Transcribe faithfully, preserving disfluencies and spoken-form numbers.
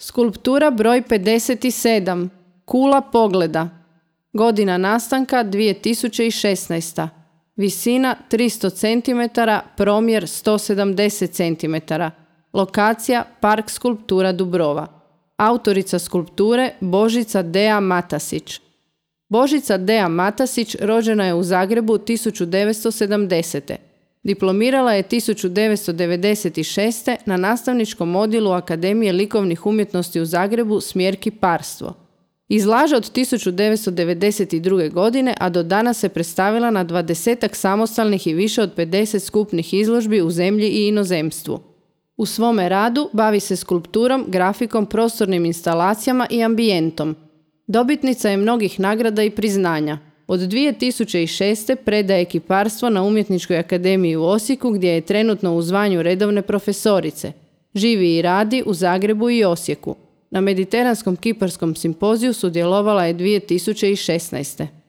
Skulptura broj pedeset sedam. Kula pogleda. Godina nastanka dvije tisuće šesnaesta. Visina tristo centimetara, promjer sto sedamdeset centimetara. Lokacija Park skulptura Dubrova. Autorica skulpture Božica Dea Matasić. Božica Dea Matasić rođena je u Zagrebu tisuću devetsto sedamdesete. Diplomirala je tisuću devetsto devedeset šeste. na nastavničkom odjelu Akademije likovnih umjetnosti u Zagrebu smjer kiparstvo. Izlaže od tisuću devetsto devedeset druge. godine, a do danas se predstavila na dvadesetak samostalnih i više od pedeset skupnih izložbi u zemlji i inozemstvu. U svome radu bavi se skulpturom, grafikom, prostornim instalacijama i ambijentom. Dobitnica je mnogih nagrada i priznanja. Od dvije tisuće šeste. predaje kiparstvo na Umjetničkoj akademiji u Osijeku, gdje je trenutno u zvanju redovne profesorice. Živi i radi u Zagrebu i Osijeku. Na Mediteranskom kiparskom simpoziju sudjelovala je dvije tisuće šesnaeste.